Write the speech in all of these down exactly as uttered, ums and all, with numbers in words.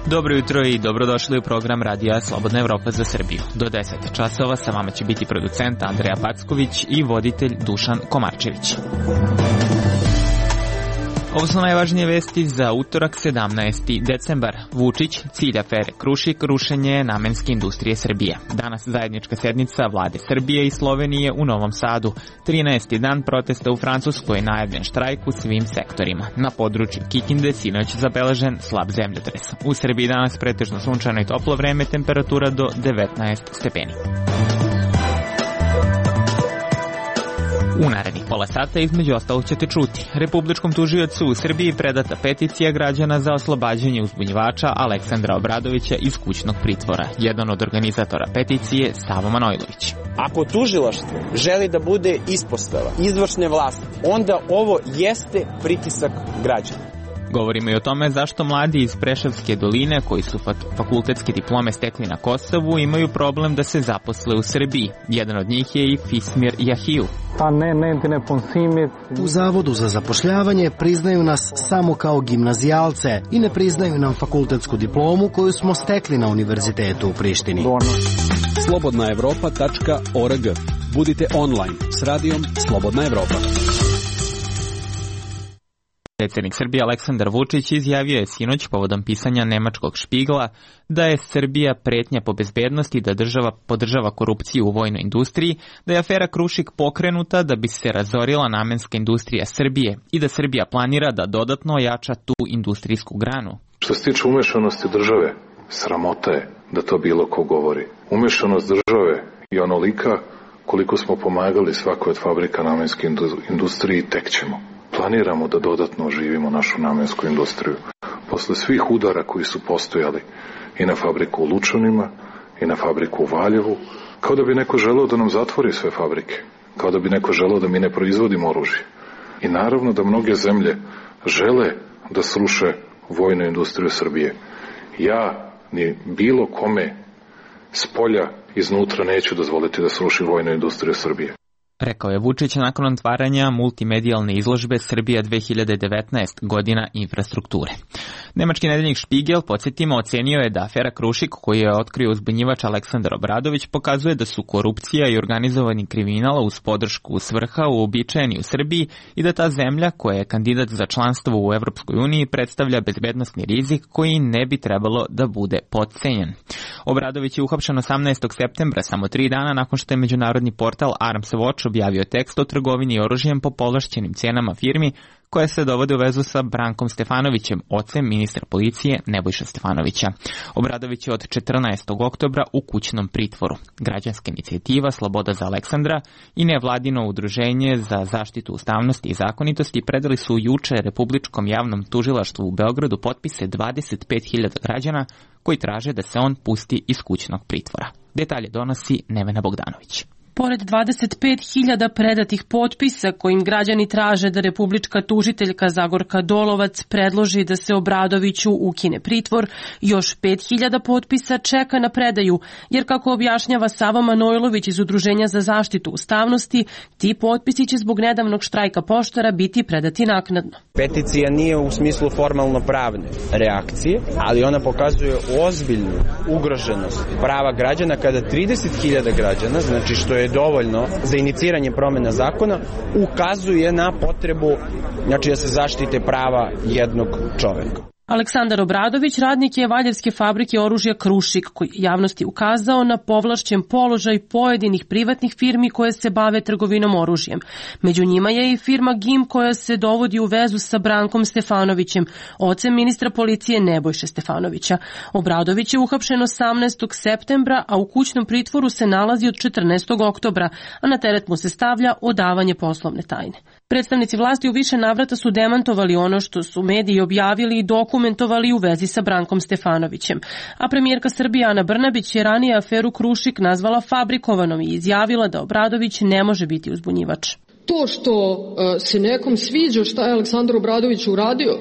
Dobro jutro i dobrodošli u program Radija Slobodna Evropa za Srbiju. Do deset časova sa vama će biti producent Andreja Packović i voditelj Dušan Komarčević. Ovo su najvažnije vesti za utorak sedamnaesti decembar. Vučić, cilj afere Krušik, rušenje namenske industrije Srbije. Danas zajednička sednica vlade Srbije i Slovenije u Novom Sadu. trinaesti dan protesta u Francuskoj, najavljen štrajk u svim sektorima. Na području Kikinde sinoć zabeležen slab zemljotres. U Srbiji danas pretežno sunčano i toplo vreme, temperatura do devetnaest stepeni. U narednih pola sata između ostalog ćete čuti. Republičkom tužiocu u Srbiji predata peticija građana za oslobađanje uzbunjivača Aleksandra Obradovića iz kućnog pritvora. Jedan od organizatora peticije Savo Manojlović. Ako tužilaštvo želi da bude ispostava izvršne vlasti, onda ovo jeste pritisak građana. Govorimo i o tome zašto mladi iz Preševske doline, koji su fakultetske diplome stekli na Kosovu, imaju problem da se zaposle u Srbiji. Jedan od njih je i Fismir Jahiju. U Zavodu za zapošljavanje priznaju nas samo kao gimnazijalce i ne priznaju nam fakultetsku diplomu koju smo stekli na univerzitetu u Prištini. slobodna evropa tačka org. Budite online s radijom Slobodna Evropa. Predsjednik Srbije Aleksandar Vučić izjavio je sinoć povodom pisanja nemačkog Špigla da je Srbija pretnja po bezbednosti, da država podržava korupciju u vojnoj industriji, da je afera Krušik pokrenuta da bi se razorila namenska industrija Srbije i da Srbija planira da dodatno ojača tu industrijsku granu. Što se tiče umešanosti države, sramota je da to bilo ko govori. Umešanost države je onolika koliko smo pomagali svakoj od fabrika namenske industriji, tek ćemo. Planiramo da dodatno oživimo našu namensku industriju. Posle svih udara koji su postojali i na fabriku u Lučanima i na fabriku u Valjevu, kao da bi neko želeo da nam zatvori sve fabrike, kao da bi neko želeo da mi ne proizvodimo oružje. I naravno da mnoge zemlje žele da sruše vojnu industriju Srbije. Ja ni bilo kome s polja iznutra neću dozvoliti da sruši vojnu industriju Srbije. Rekao je Vučić nakon otvaranja multimedijalne izložbe Srbija dve hiljade devetnaest godina infrastrukture. Nemački nedeljnik Špigel, podsjetimo, ocenio je da afera Krušik, koju je otkrio uzbunjivač Aleksandar Obradović, pokazuje da su korupcija i organizovani kriminal uz podršku svrha uobičajeni u Srbiji i da ta zemlja, koja je kandidat za članstvo u Evropskoj uniji, predstavlja bezbednosni rizik koji ne bi trebalo da bude potcenjen. Obradović je uhapšen osamnaestog septembra, samo tri dana nakon što je međunarodni portal Arms Watch objavio tekst o trgovini oružjem po povlašćenim cenama firmi koja se dovode u vezu sa Brankom Stefanovićem, ocem ministra policije Nebojša Stefanovića. Obradović je od četrnaestog oktobra u kućnom pritvoru. Građanska inicijativa Sloboda za Aleksandra i nevladino udruženje za zaštitu ustavnosti i zakonitosti predali su juče Republičkom javnom tužilaštvu u Beogradu potpise dvadeset pet hiljada građana koji traže da se on pusti iz kućnog pritvora. Detalje donosi Nevena Bogdanović. Pored dvadeset pet hiljada predatih potpisa kojim građani traže da republička tužiteljka Zagorka Dolovac predloži da se Obradoviću ukine pritvor, još pet hiljada potpisa čeka na predaju, jer kako objašnjava Savo Manojlović iz Udruženja za zaštitu ustavnosti, ti potpisi će zbog nedavnog štrajka poštara biti predati naknadno. Peticija nije u smislu formalno pravne reakcije, ali ona pokazuje ozbiljnu ugroženost prava građana kada trideset hiljada građana, znači što je dovoljno za iniciranje promena zakona, ukazuje na potrebu, znači da se zaštite prava jednog čoveka. Aleksandar Obradović radnik je Valjevske fabrike oružja Krušik, koji javnosti ukazao na povlašćen položaj pojedinih privatnih firmi koje se bave trgovinom oružjem. Među njima je i firma G I M koja se dovodi u vezu sa Brankom Stefanovićem, ocem ministra policije Nebojše Stefanovića. Obradović je uhapšen osamnaestog septembra, a u kućnom pritvoru se nalazi od četrnaestog oktobra, a na teret mu se stavlja odavanje poslovne tajne. Predstavnici vlasti u više navrata su demantovali ono što su mediji objavili i dokumentovali u vezi sa Brankom Stefanovićem. A premijerka Srbije Ana Brnabić je ranije aferu Krušik nazvala fabrikovanom i izjavila da Obradović ne može biti uzbunjivač. To što se nekom sviđa šta je Aleksandar Obradović uradio,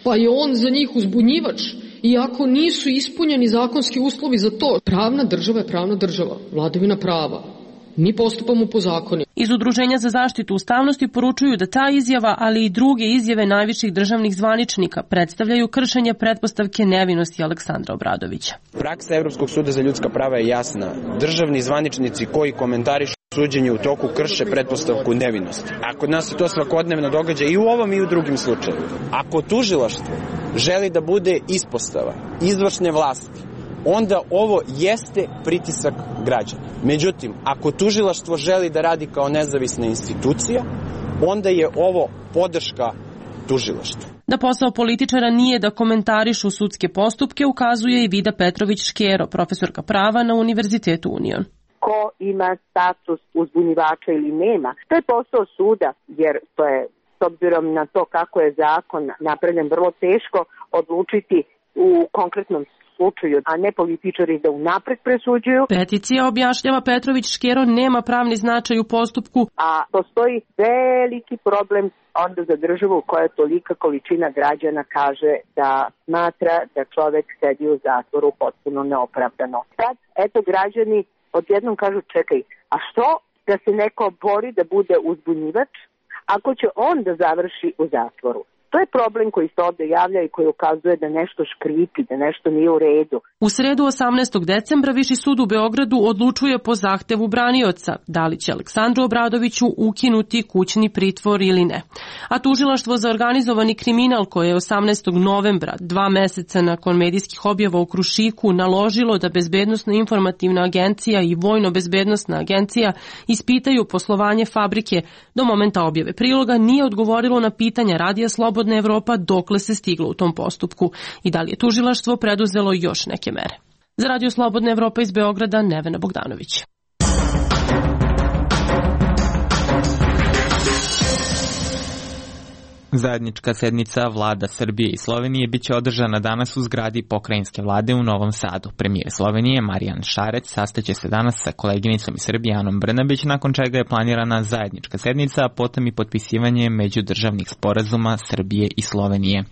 pa je on za njih uzbunjivač, iako nisu ispunjeni zakonski uslovi za to. Pravna država je pravna država, vladavina prava. Mi postupamo po zakonima. Iz Udruženja za zaštitu ustavnosti poručuju da ta izjava, ali i druge izjave najviših državnih zvaničnika predstavljaju kršenje pretpostavke nevinosti Aleksandra Obradovića. Praksa Evropskog suda za ljudska prava je jasna. Državni zvaničnici koji komentarišu suđenje u toku krše pretpostavku nevinosti. A kod nas se to svakodnevno događa i u ovom i u drugim slučajevima. Ako tužilaštvo želi da bude ispostava izvršne vlasti, onda ovo jeste pritisak građana. Međutim, ako tužilaštvo želi da radi kao nezavisna institucija, onda je ovo podrška tužilaštvu. Da posao političara nije da komentarišu sudske postupke, ukazuje i Vida Petrović-Škero, profesorka prava na Univerzitetu Union. Ko ima status uzbunjivača ili nema, to je posao suda, jer to je, s obzirom na to kako je zakon napravljen, vrlo teško odlučiti u konkretnom slučaju, a ne političari da unapred presuđuju. Peticija, objašnjava Petrović-Škero, nema pravni značaj u postupku. A postoji veliki problem onda za državu koja tolika količina građana kaže da smatra da čovek sedi u zatvoru potpuno neopravdano. Sad, eto, građani odjednom kažu, čekaj, a što da se neko bori da bude uzbunjivač ako će on da završi u zatvoru? To je problem koji se ovde javlja i koji ukazuje da nešto škripi, da nešto nije u redu. U sredu osamnaestog decembra Viši sud u Beogradu odlučuje po zahtevu branioca da li će Aleksandru Obradoviću ukinuti kućni pritvor ili ne. A tužilaštvo za organizovani kriminal koje je osamnaestog novembra, dva meseca nakon medijskih objava u Krušiku, naložilo da Bezbednosno-informativna agencija i Vojno-bezbednosna agencija ispitaju poslovanje fabrike, do momenta objave priloga nije odgovorilo na pitanja Radija Slobodna Evropa dokle se stiglo u tom postupku i da li je tužilaštvo preduzelo još neke mere. Za Radio Slobodna Evropa iz Beograda, Nevena Bogdanović. Zajednička sednica vlada Srbije i Slovenije biće održana danas u zgradi pokrajinske vlade u Novom Sadu. Premijer Slovenije Marijan Šarec sastaće se danas sa koleginicom iz Srbije Anom Brnabić, nakon čega je planirana zajednička sednica, a potom i potpisivanje međudržavnih sporazuma Srbije i Slovenije.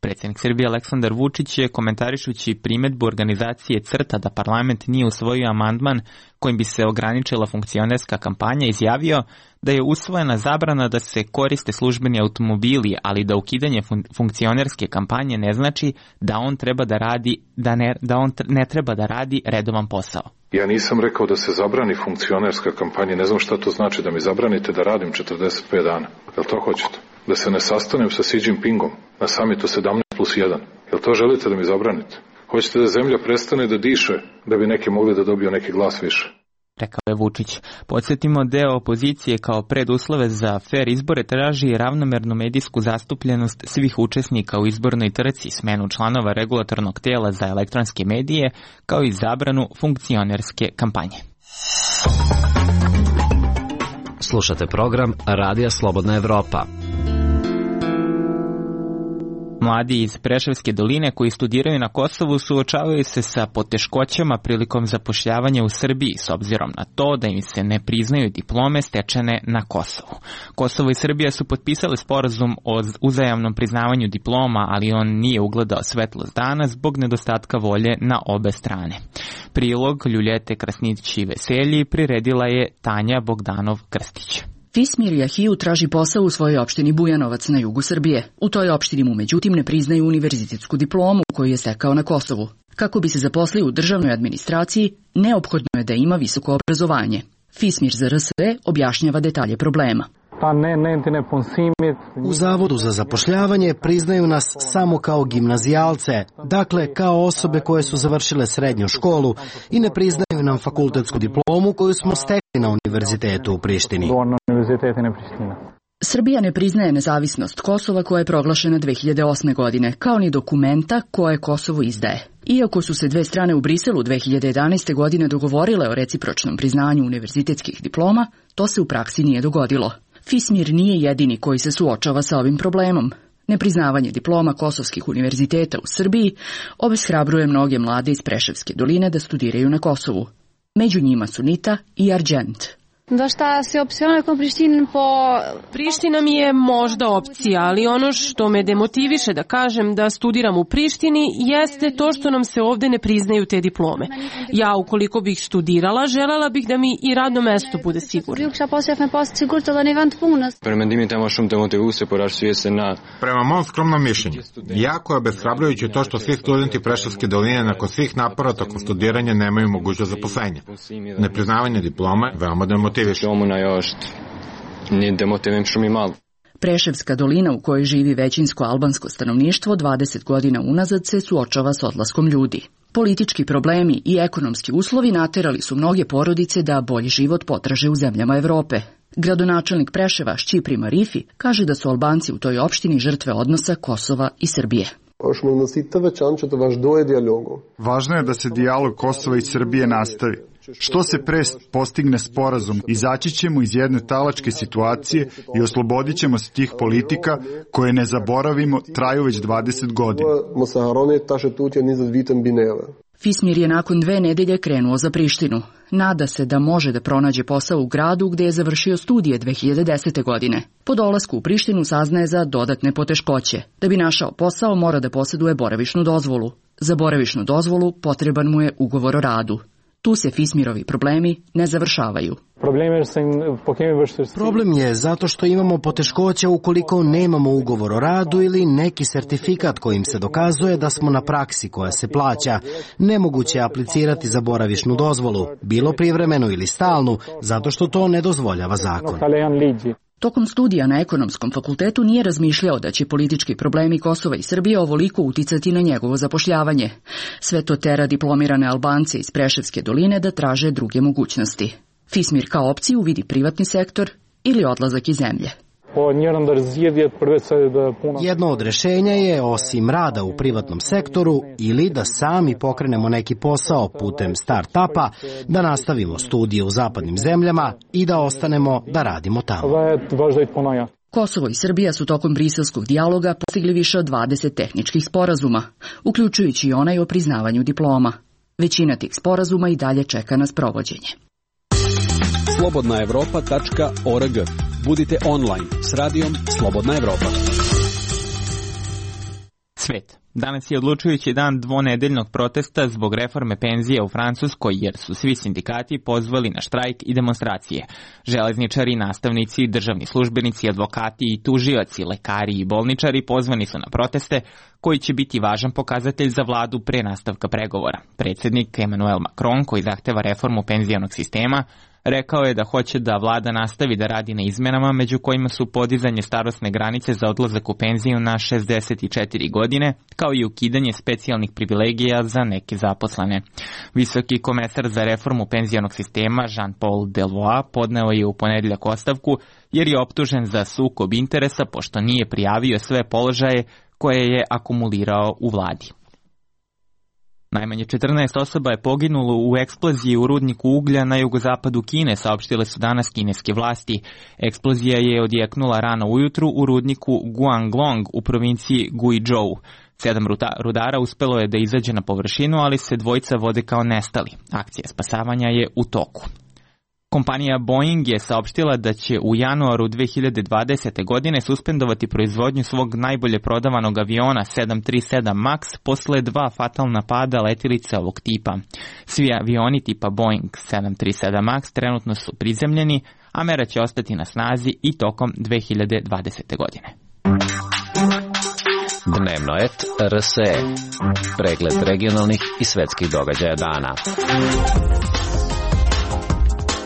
Predsjednik Srbije Aleksandar Vučić je, komentarišući primedbu organizacije CRTA da parlament nije usvojio amandman kojim bi se ograničila funkcionerska kampanja, izjavio da je usvojena zabrana da se koriste službeni automobili, ali da ukidanje fun- funkcionerske kampanje ne znači da on treba da radi da ne, da on ne treba da radi redovan posao. Ja nisam rekao da se zabrani funkcionerska kampanja, ne znam šta to znači, da mi zabranite da radim četrdeset pet dana. Jel to hoćete? Da se ne sastanem sa Xi Jinpingom na samitu sedamnaest plus jedan. Jel to želite da mi zabranite? Hoćete da zemlja prestane da diše, da bi neki mogli da dobiju neki glas više? Rekao je Vučić. Podsjetimo, deo opozicije kao preduslove za fer izbore traži ravnomernu medijsku zastupljenost svih učesnika u izbornoj trci, smenu članova regulatornog tela za elektronske medije, kao i zabranu funkcionerske kampanje. Slušate program Radija Slobodna Evropa. Mladi iz Preševske doline koji studiraju na Kosovu suočavaju se sa poteškoćama prilikom zapošljavanja u Srbiji s obzirom na to da im se ne priznaju diplome stečene na Kosovu. Kosovo i Srbija su potpisali sporazum o uzajamnom priznavanju diploma, ali on nije ugledao svetlost dana zbog nedostatka volje na obe strane. Prilog Ljuljete Krasnić-Veselji priredila je Tanja Bogdanov-Krstić. Fismir Jahiju traži posao u svojoj opštini Bujanovac na jugu Srbije. U toj opštini mu međutim ne priznaju univerzitetsku diplomu koju je stekao na Kosovu. Kako bi se zaposlio u državnoj administraciji, neophodno je da ima visoko obrazovanje. Fismir za R S E objašnjava detalje problema. U Zavodu za zapošljavanje priznaju nas samo kao gimnazijalce, dakle kao osobe koje su završile srednju školu, i ne priznaju nam fakultetsku diplomu koju smo stekli na univerzitetu u Prištini. Srbija ne priznaje nezavisnost Kosova koja je proglašena dve hiljade osme. godine, kao ni dokumenta koje Kosovo izdaje. Iako su se dve strane u Briselu dve hiljade jedanaeste. godine dogovorile o recipročnom priznanju univerzitetskih diploma, to se u praksi nije dogodilo. Fismir nije jedini koji se suočava sa ovim problemom. Nepriznavanje diploma kosovskih univerziteta u Srbiji obeshrabruje mnoge mlade iz Preševske doline da studiraju na Kosovu. Među njima su Nita i Arđent. Dosta se opciona com Priština po... Priština mi je možda opcija, ali ono što me demotiviše da kažem da studiram u Prištini jeste to što nam se ovde ne priznaju te diplome. Ja ukoliko bih studirala, želela bih da mi i radno mesto bude sigurno. Prema mom skromnom mišljenju, jako je obeshrabrujuće to što svi studenti Preševske doline nakon svih napora tokom studiranja nemaju mogućnost zaposlenja. Nepriznavanje diplome veoma demotiviše. Preševska dolina u kojoj živi većinsko albansko stanovništvo dvadeset godina unazad se suočava s odlaskom ljudi. Politički problemi i ekonomski uslovi naterali su mnoge porodice da bolji život potraže u zemljama Evrope. Gradonačelnik Preševa Šćipri Marifi kaže da su Albanci u toj opštini žrtve odnosa Kosova i Srbije. Važno je da se dijalog Kosova i Srbije nastavi. Što se pre postigne sporazum, izaći ćemo iz jedne talačke situacije i oslobodit ćemo se tih politika koje, ne zaboravimo, traju već dvadeset godina. Fismir je nakon dve nedelje krenuo za Prištinu. Nada se da može da pronađe posao u gradu gde je završio studije dve hiljade desete. godine. Po dolasku u Prištinu saznaje za dodatne poteškoće. Da bi našao posao mora da posjeduje boravišnu dozvolu. Za boravišnu dozvolu potreban mu je ugovor o radu. Tu se Fismirovi problemi ne završavaju. Problem je zato što imamo poteškoća ukoliko nemamo ugovor o radu ili neki sertifikat kojim se dokazuje da smo na praksi koja se plaća. Nemoguće je aplicirati za boravišnu dozvolu, bilo privremenu ili stalnu, zato što to ne dozvoljava zakon. Tokom studija na ekonomskom fakultetu nije razmišljao da će politički problemi Kosova i Srbije ovoliko uticati na njegovo zapošljavanje. Sve to tera diplomirane Albance iz Preševske doline da traže druge mogućnosti. Fismir kao opciju vidi privatni sektor ili odlazak iz zemlje. Jedno od rešenja je, osim rada u privatnom sektoru, ili da sami pokrenemo neki posao putem start-upa, da nastavimo studije u zapadnim zemljama i da ostanemo da radimo tamo. Kosovo i Srbija su tokom briselskog dijaloga postigli više od dvadeset tehničkih sporazuma, uključujući i onaj o priznavanju diploma. Većina tih sporazuma i dalje čeka na sprovođenje. slobodna evropa tačka org. Budite online s radijom Slobodna Evropa. Svet. Danas je odlučujući dan dvonedeljnog protesta zbog reforme penzije u Francuskoj, jer su svi sindikati pozvali na štrajk i demonstracije. Železničari, nastavnici, državni službenici, advokati i tužioci, lekari i bolničari pozvani su na proteste koji će biti važan pokazatelj za vladu pre nastavka pregovora. Predsjednik Emmanuel Macron, koji zahteva reformu penzijonog sistema, rekao je da hoće da vlada nastavi da radi na izmenama, među kojima su podizanje starosne granice za odlazak u penziju na šezdeset četiri godine, kao i ukidanje specijalnih privilegija za neke zaposlene. Visoki komesar za reformu penzijonog sistema Jean-Paul Delevoye podneo je u ponedeljak ostavku jer je optužen za sukob interesa pošto nije prijavio sve položaje koje je akumulirao u vladi. Najmanje četrnaest osoba je poginulo u eksploziji u rudniku uglja na jugozapadu Kine, saopštile su danas kineske vlasti. Eksplozija je odjeknula rano ujutru u rudniku Guanglong u provinciji Guizhou. Sedam rudara uspelo je da izađe na površinu, ali se dvojica vode kao nestali. Akcija spasavanja je u toku. Kompanija Boeing je saopštila da će u januaru dve hiljade dvadesete. godine suspendovati proizvodnju svog najbolje prodavanog aviona sedam tri sedam Max posle dva fatalna pada letilice ovog tipa. Svi avioni tipa Boeing sedam tri sedam Max trenutno su prizemljeni, a mera će ostati na snazi i tokom dve hiljade dvadesete. godine. Dnevno et R S E. Pregled regionalnih i svetskih događaja dana.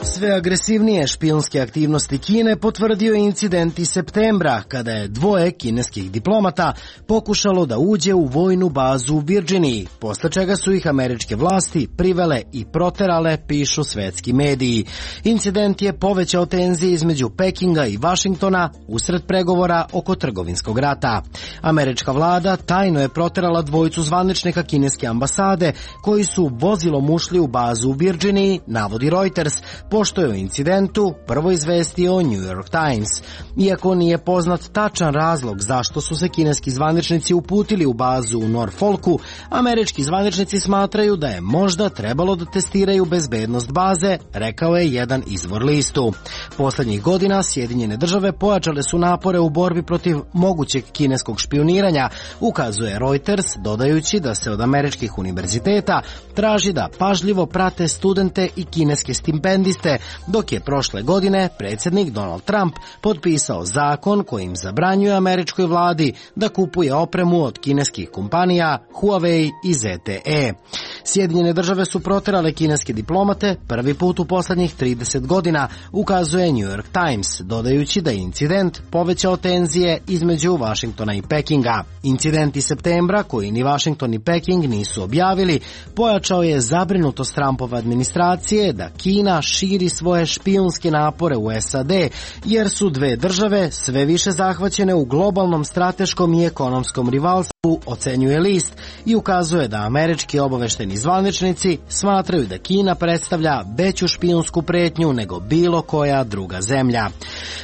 Sve agresivnije špijunske aktivnosti Kine potvrdio je incident iz septembra, kada je dvoje kineskih diplomata pokušalo da uđe u vojnu bazu u Virginiji, posle čega su ih američke vlasti privele i proterale, pišu svetski mediji. Incident je povećao tenzije između Pekinga i Vašingtona usred pregovora oko trgovinskog rata. Američka vlada tajno je proterala dvojicu zvaničnika kineske ambasade koji su vozilom ušli u bazu u Virginiji, navodi Reuters, pošto što je o incidentu prvo izvestio New York Times. Iako nije poznat tačan razlog zašto su se kineski zvaničnici uputili u bazu u Norfolku, američki zvaničnici smatraju da je možda trebalo da testiraju bezbednost baze, rekao je jedan izvor listu. Poslednjih godina Sjedinjene države pojačale su napore u borbi protiv mogućeg kineskog špioniranja, ukazuje Reuters, dodajući da se od američkih univerziteta traži da pažljivo prate studente i kineske stipendiste, dok je prošle godine predsjednik Donald Trump potpisao zakon kojim zabranjuje američkoj vladi da kupuje opremu od kineskih kompanija Huawei i Z T E. Sjedinjene države su proterale kineske diplomate prvi put u poslednjih trideset godina, ukazuje New York Times, dodajući da je incident povećao tenzije između Vašingtona i Pekinga. Incident iz septembra, koji ni Vašington ni Peking nisu objavili, pojačao je zabrinutost Trumpove administracije da Kina širi svoje špijunske napore u S A D, jer su dve države sve više zahvaćene u globalnom strateškom i ekonomskom rivalstvu, ocenjuje list, i ukazuje da američki obavešteni zvaničnici smatraju da Kina predstavlja veću špijunsku pretnju nego bilo koja druga zemlja.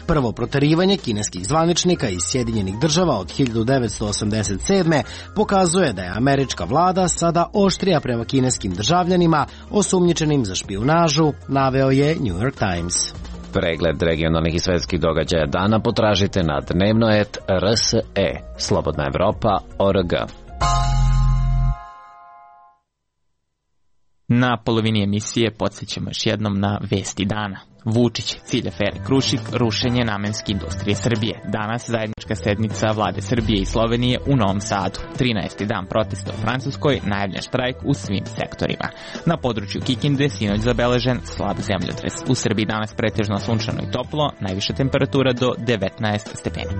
Prvo proterivanje kineskih zvaničnika iz Sjedinjenih država od hiljadu devetsto osamdeset sedme pokazuje da je američka vlada sada oštrija prema kineskim državljanima osumnjičenim za špijunažu, naveo je New York Times. Pregled regionalnih i svetskih događaja dana potražite na dnevno et R S E, Slobodna Evropa, O R G. Na polovini emisije podsjećamo još jednom na vesti dana. Vučić, cilj afere Krušik, rušenje namenske industrije Srbije. Danas zajednička sednica vlade Srbije i Slovenije u Novom Sadu. trinaesti dan protesta u Francuskoj, najavljen štrajk u svim sektorima. Na području Kikinde sinoć zabeležen slab zemljotres. U Srbiji danas pretežno sunčano i toplo, najviša temperatura do devetnaest stepeni.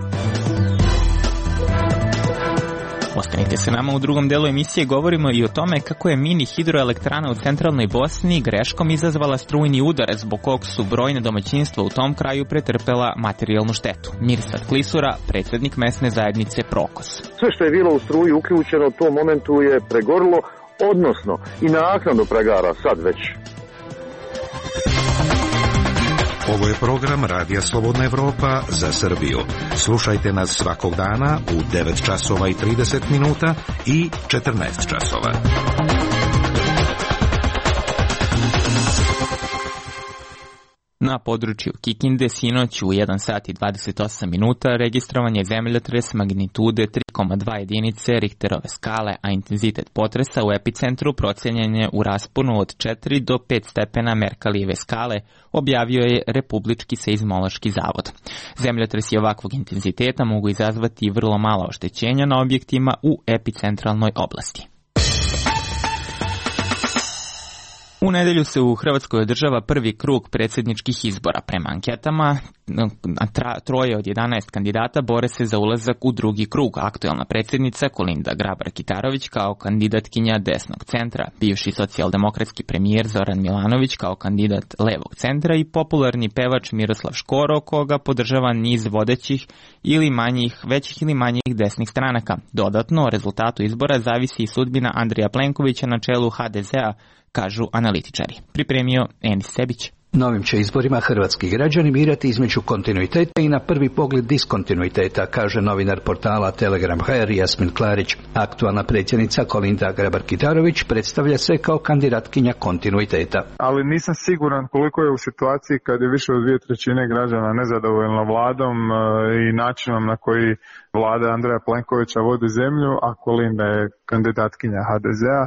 Ostanite se nama, u drugom delu emisije govorimo i o tome kako je mini hidroelektrana u centralnoj Bosni greškom izazvala strujni udar, zbog kog su brojne domaćinstva u tom kraju pretrpela materijalnu štetu. Mirsad Klisura, predsjednik mesne zajednice Prokos. Sve što je bilo u struji uključeno u tom momentu je pregorilo, odnosno i naknadno pregara sad već. Ovo je program Radija Slobodna Evropa za Srbiju. Slušajte nas svakog dana u devet časova i trideset minuta i četrnaest časova. Na području Kikinde sinoć u jedan sat i dvadeset osam minuta registrovan je zemljotres magnitude tri zarez dva jedinice Richterove skale, a intenzitet potresa u epicentru procenjen je u rasponu od četiri do pet stepena Merkalijeve skale, objavio je Republički seizmološki zavod. Zemljotresi ovakvog intenziteta mogu izazvati vrlo mala oštećenja na objektima u epicentralnoj oblasti. U nedelju se u Hrvatskoj održava prvi krug predsjedničkih izbora. Prema anketama, troje od jedanaest kandidata bore se za ulazak u drugi krug. Aktuelna predsjednica Kolinda Grabar-Kitarović kao kandidatkinja desnog centra, bivši socijaldemokratski premijer Zoran Milanović kao kandidat levog centra i popularni pevač Miroslav Škoro, koga podržava niz vodećih ili manjih, većih ili manjih desnih stranaka. Dodatno, o rezultatu izbora zavisi i sudbina Andreja Plenkovića na čelu H D Z-a, kažu analitičari. Pripremio Enis Sebić. Novim će izborima hrvatski građani birati između kontinuiteta i na prvi pogled diskontinuiteta, kaže novinar portala Telegram punkt h r Jasmin Klarić. Aktualna predsjednica Kolinda Grabar-Kitarović predstavlja se kao kandidatkinja kontinuiteta. Ali nisam siguran koliko je u situaciji kad je više od dvije trećine građana nezadovoljno vladom i načinom na koji vlada Andreja Plenkovića vodi zemlju, a Kolinda je kandidatkinja H D Z-a.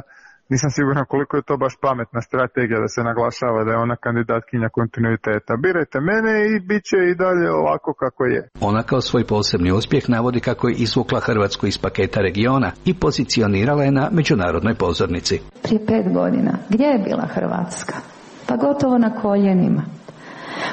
Nisam siguran koliko je to baš pametna strategija da se naglašava da je ona kandidatkinja kontinuiteta. Birajte mene i bit će i dalje ovako kako je. Ona kao svoj posebni uspjeh navodi kako je izvukla Hrvatsku iz paketa regiona i pozicionirala je na međunarodnoj pozornici. Prije pet godina gdje je bila Hrvatska? Pa gotovo na koljenima.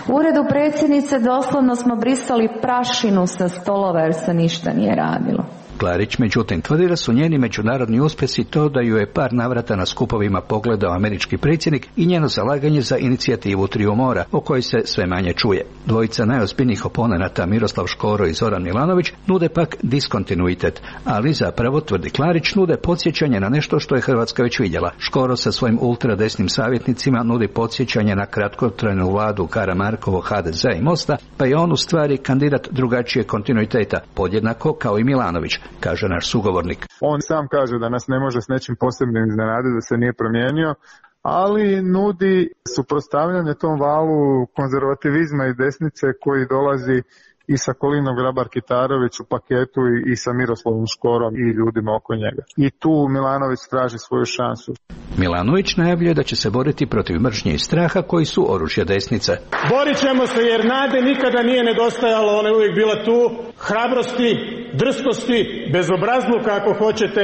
U uredu predsjednice doslovno smo brisali prašinu sa stolova jer se ništa nije radilo. Klarić međutim tvrdi da su njeni međunarodni uspjesi to da ju je par navrata na skupovima pogledao američki predsjednik i njeno zalaganje za inicijativu Triju mora, o kojoj se sve manje čuje. Dvojica najozbiljnijih oponenata Miroslav Škoro i Zoran Milanović nude pak diskontinuitet, ali zapravo, tvrdi Klarić, nude podsjećanje na nešto što je Hrvatska već vidjela. Škoro sa svojim ultradesnim savjetnicima nudi podsjećanje na kratkotrajnu vladu Karamarkovo, ha de ze i Mosta, pa je on u stvari kandidat drugačije kontinuiteta, podjednako kao i Milanović, kaže naš sugovornik. On sam kaže da nas ne može s nečim posebnim iznenaditi, da se nije promijenio, ali nudi suprotstavljanje tom valu konzervativizma i desnice koji dolazi i sa Kolinom Grabar-Kitarović u paketu i, i sa Miroslavom Škorom i ljudima oko njega. I tu Milanović traži svoju šansu. Milanović najavljuje da će se boriti protiv mržnje i straha koji su oružje desnice. Borit ćemo se jer nade nikada nije nedostajalo, ona je uvijek bila tu, hrabrosti, drskosti, bezobrazluka ako hoćete,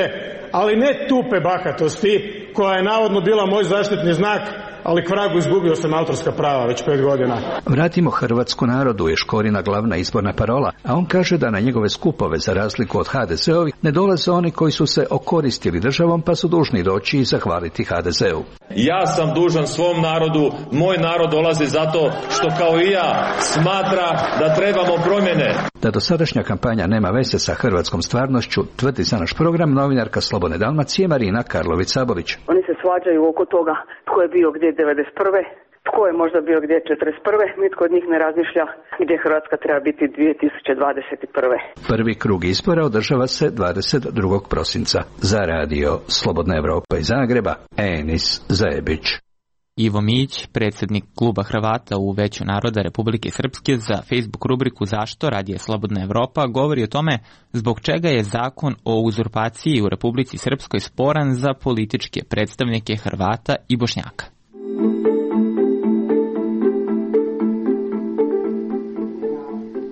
ali ne tupe bahatosti koja je navodno bila moj zaštitni znak, ali k vragu izgubio sam autorska prava već pet godina. Vratimo Hrvatsku narodu je Škorina glavna izborna parola, a on kaže da na njegove skupove, za razliku od ha de ze-ovih, ne dolaze oni koji su se okoristili državom pa su dužni doći i zahvaliti ha de ze-u. Ja sam dužan svom narodu, moj narod dolazi zato što kao i ja smatra da trebamo promjene. Da dosadašnja kampanja nema veze sa hrvatskom stvarnošću, tvrdi za naš program novinarka Slobodne Dalmacije Marina Karlović-Sabolić. Oni se svađaju oko toga tko je bio gdje devedeset prve, tko je možda bio gdje četrdeset prve, nitko od njih ne razmišlja gdje Hrvatska treba biti dvije tisuće dvadeset prve. Prvi krug izbora održava se dvadeset drugog prosinca. Za radio Slobodna Evropa iz Zagreba, Enis Zajebić. Ivo Mić, predsjednik kluba Hrvata u Veću naroda Republike Srpske, za Facebook rubriku Zašto radije Slobodna Evropa govori o tome zbog čega je zakon o uzurpaciji u Republici Srpskoj sporan za političke predstavnike Hrvata i Bošnjaka.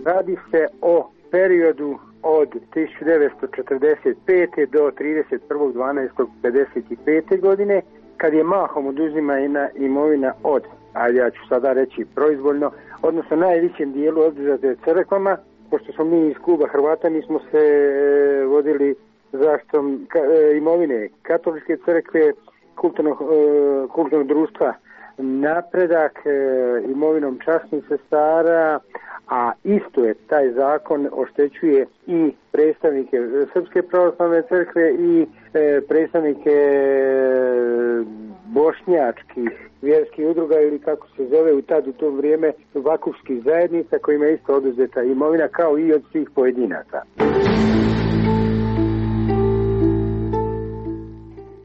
Radi se o periodu od tisuću devetsto četrdeset pete do trideset prvog dvanaestog pedeset pete godine, kad je mahom oduzimana imovina od, a ja ću sada reći proizvoljno, odnosno najvećem dijelu oduzete crkvama. Pošto smo mi iz kluba Hrvata, mi smo se vodili zaštitom imovine katoličke crkve, kulturnog, kulturnog društva Napredak, imovinom časnih sestara, a isto je taj zakon oštećuje i predstavnike Srpske pravoslavne crkve i predstavnike bošnjačkih vjerskih udruga ili kako se zove u tad u to vrijeme vakufskih zajednica kojima je isto oduzeta imovina kao i od svih pojedinaca.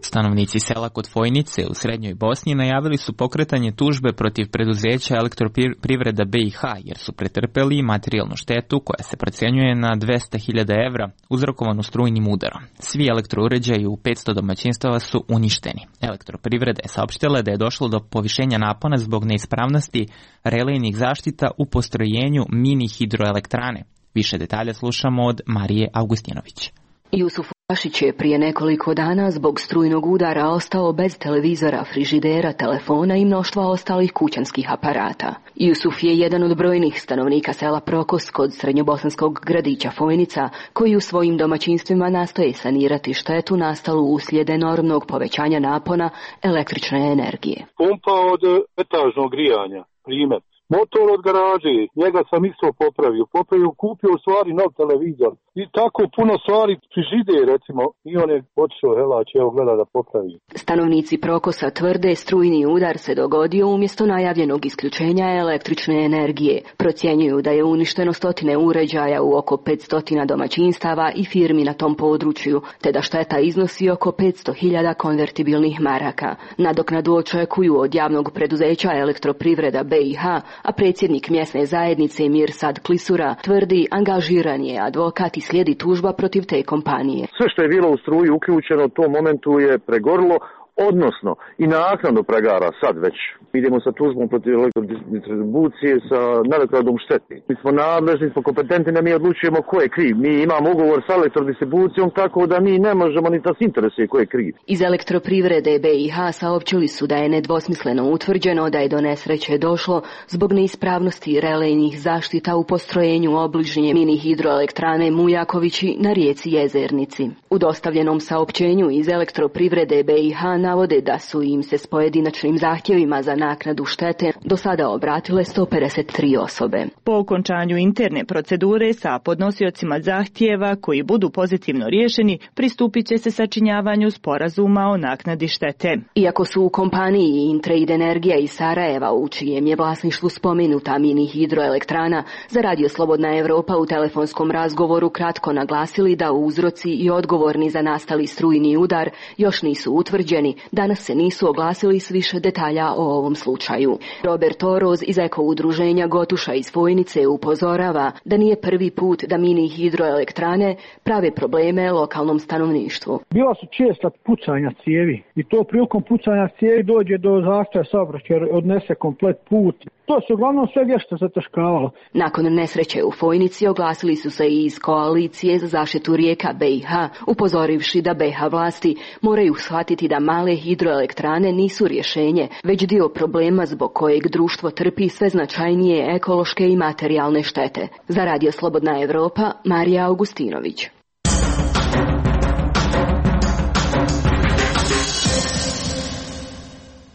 Stanovnici sela kod Fojnice u Srednjoj Bosni najavili su pokretanje tužbe protiv preduzeća Elektroprivreda be i ha jer su pretrpeli materijalnu štetu koja se procenjuje na dvesta hiljada evra uzrokovanu strujnim udarom. Svi elektrouređaji u petsto domaćinstava su uništeni. Elektroprivreda je saopštila da je došlo do povišenja napona zbog neispravnosti relejnih zaštita u postrojenju mini hidroelektrane. Više detalja slušamo od Marije Augustinović. Jusuf Pašić je prije nekoliko dana zbog strujnog udara ostao bez televizora, frižidera, telefona i mnoštva ostalih kućanskih aparata. Jusuf je jedan od brojnih stanovnika sela Prokos kod srednjobosanskog gradića Fojnica, koji u svojim domaćinstvima nastoje sanirati štetu nastalu uslijed enormnog povećanja napona električne energije. Pumpa od etažnog grijanja, primjer. Motor od garaže, njega sam isto popravio, popravio, kupio u stvari nov televizor i tako puno stvari, frižide recimo, i on je otišao, helač, evo gleda da popravi. Stanovnici Prokosa tvrde strujni udar se dogodio umjesto najavljenog isključenja električne energije. Procjenjuju da je uništeno stotine uređaja u oko petsto domaćinstava i firmi na tom području, te da šteta iznosi oko petsto hiljada konvertibilnih maraka. Nadoknadu očekuju od javnog preduzeća Elektroprivreda be i ha, a predsjednik mjesne zajednice Mirsad Klisura tvrdi angažiran je advokat i slijedi tužba protiv te kompanije. Sve što je bilo u struji uključeno u tom momentu je pregorilo, odnosno i naknadu pregara sad već. Idemo sa tužbom protiv elektrodistribucije sa nadoknadom štete. Mi smo nadležni, smo kompetentni da mi odlučujemo ko je kriv. Mi imamo ugovor sa elektrodistribucijom, tako da mi ne možemo ni da se interesuje ko je kriv. Iz Elektroprivrede B i H saopćili su da je nedvosmisleno utvrđeno da je do nesreće došlo zbog neispravnosti relejnih zaštita u postrojenju obližnje mini hidroelektrane Mujakovići na rijeci Jezernici. U dostavljenom saopćenju iz Elektroprivrede B i H navode da su im se s pojedinačnim zahtjevima za naknadu štete do sada obratile sto pedeset tri osobe. Po okončanju interne procedure sa podnosiocima zahtjeva koji budu pozitivno riješeni, pristupit će se sačinjavanju sporazuma o naknadi štete. Iako su u kompaniji Intrade Energija iz Sarajeva, u čijem je vlasništvu spomenuta mini hidroelektrana, za Radio Slobodna Evropa u telefonskom razgovoru kratko naglasili da uzroci i odgovorni za nastali strujni udar još nisu utvrđeni, danas se nisu oglasili s više detalja o ovom slučaju. Robert Oroz iz Eko udruženja Gotuša iz Fojnice upozorava da nije prvi put da mini hidroelektrane prave probleme lokalnom stanovništvu. Bila su česta pucanja cijevi i to prilikom pucanja cijevi dođe do zastoja saobraćaja, odnese komplet put. To se uglavnom sve vješto zataškavalo. Nakon nesreće u Fojnici oglasili su se i iz koalicije za zaštitu rijeka B i H, upozorivši da B i H vlasti moraju shvatiti da male hidroelektrane nisu rješenje, već dio problema zbog kojeg društvo trpi sve značajnije ekološke i materijalne štete. Za Radio Slobodna Evropa, Marija Augustinović.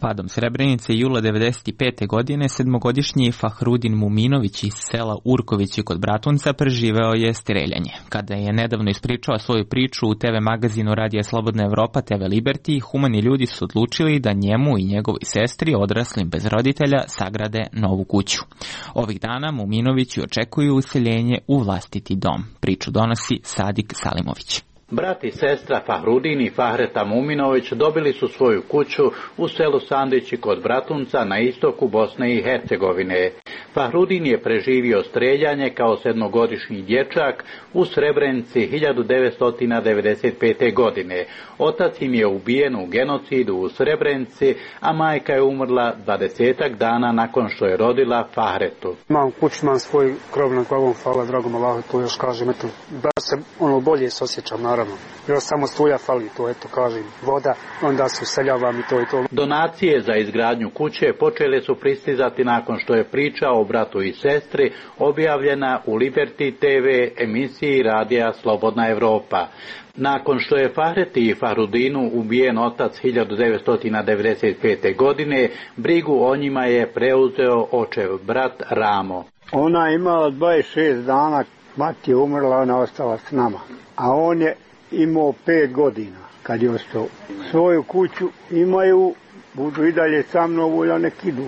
Padom Srebrenice jula devedeset pete. godine sedmogodišnji Fahrudin Muminović iz sela Urkovići kod Bratunca preživeo je streljanje. Kada je nedavno ispričao svoju priču u te ve magazinu Radija Slobodna Evropa te ve Liberty, humani ljudi su odlučili da njemu i njegovoj sestri, odraslim bez roditelja, sagrade novu kuću. Ovih dana Muminovići očekuju useljenje u vlastiti dom. Priču donosi Sadik Salimović. Brat i sestra Fahrudin i Fahreta Muminović dobili su svoju kuću u selu Sandići kod Bratunca na istoku Bosne i Hercegovine. Fahrudin je preživio streljanje kao sedmogodišnji dječak u Srebrenici hiljadu devetsto devedeset pete. godine. Otac im je ubijen u genocidu u Srebrenici, a majka je umrla dvadesetak dana nakon što je rodila Fahretu. Imam kuću, imam svoj krov nad glavom, hvala dragom Allahu, to još kažem, eto, da se ono bolje se osjećam, naravno. Još samo struja fali, to eto kažem, voda, onda se useljavam i to i to. Donacije za izgradnju kuće počele su pristizati nakon što je priča o bratu i sestri objavljena u Liberty te ve emisiji Radija Slobodna Evropa. Nakon što je Fahreti i Fahrudinu ubijen otac hiljadu devetsto devedeset pete. godine, brigu o njima je preuzeo očev brat Ramo. Ona je imala dvadeset šest dana, mati je umrla, ona ostala s nama. A on je imao pet godina kad je ostao. Svoju kuću imaju, budu i dalje sa mnom, volja nek idu.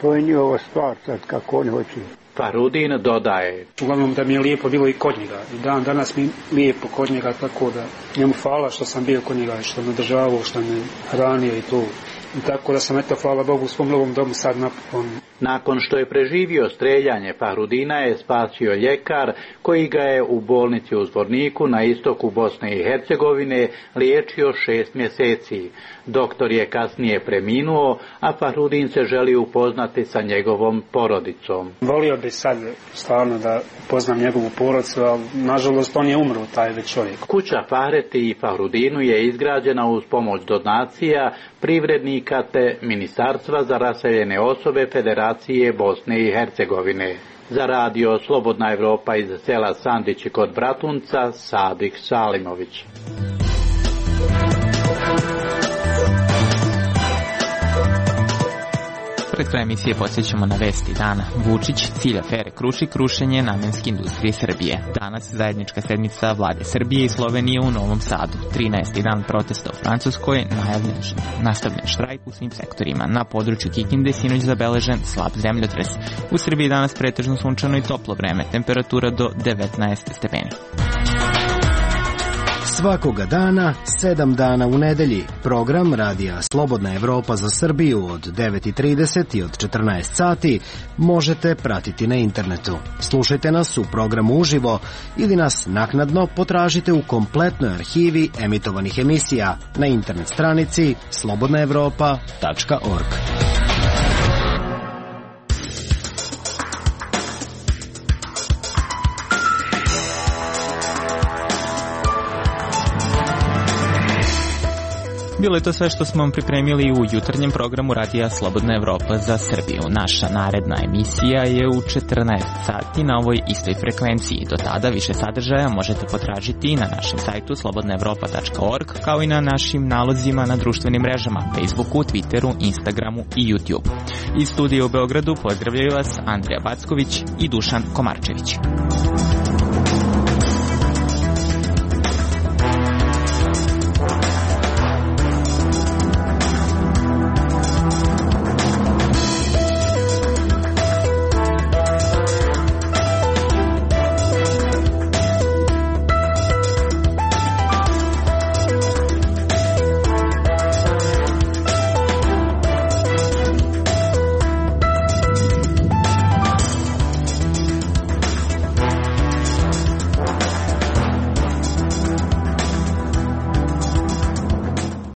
To je njihova stvar sad kako oni hoće. Fahrudin dodaje. Uglavnom da mi je lijepo bilo i kod njega. I dan danas mi lijepo kod njega, tako da njemu hvala što sam bio kod njega, što me državao, što me hranio i to. I tako da sam, eto, hvala Bogu, u svom novom domu sad napokon. Nakon što je preživio streljanje, Fahrudina je spasio ljekar koji ga je u bolnici u Zvorniku na istoku Bosne i Hercegovine liječio šest mjeseci. Doktor je kasnije preminuo, a Fahrudin se želi upoznati sa njegovom porodicom. Volio bi sad stvarno da poznam njegovu porodicu, ali nažalost on je umro, taj već čovjek. Kuća Fahreti i Fahrudinu je izgrađena uz pomoć donacija, privrednika te Ministarstva za raseljene osobe Federacije Bosne i Hercegovine. Za Radio Slobodna Evropa iz sela Sandići kod Bratunca, Sadik Salimović. Pred kraj emisije podsjećamo na vesti dana. Vučić, cilj afere Krušik, rušenje namenske industrije Srbije. Danas zajednička sednica vlade Srbije i Slovenije u Novom Sadu. trinaesti dan protesta u Francuskoj, najavljen nastavljen štrajk u svim sektorima. Na području Kikinde sinoć zabeležen slab zemljotres. U Srbiji danas pretežno sunčano i toplo vreme, temperatura do devetnaest stepeni. Svakoga dana, sedam dana u nedelji. Program Radija Slobodna Evropa za Srbiju od devet i trideset i od četrnaest sati možete pratiti na internetu. Slušajte nas u programu uživo ili nas naknadno potražite u kompletnoj arhivi emitovanih emisija na internet stranici slobodna evropa tačka org. Bilo je to sve što smo vam pripremili u jutarnjem programu Radija Slobodna Evropa za Srbiju. Naša naredna emisija je u četrnaest sati na ovoj istoj frekvenciji. Do tada više sadržaja možete potražiti na našem sajtu slobodna evropa tačka org, kao i na našim nalozima na društvenim mrežama Facebooku, Twitteru, Instagramu i YouTube. Iz studija u Beogradu pozdravljaju vas Andrija Backović i Dušan Komarčević.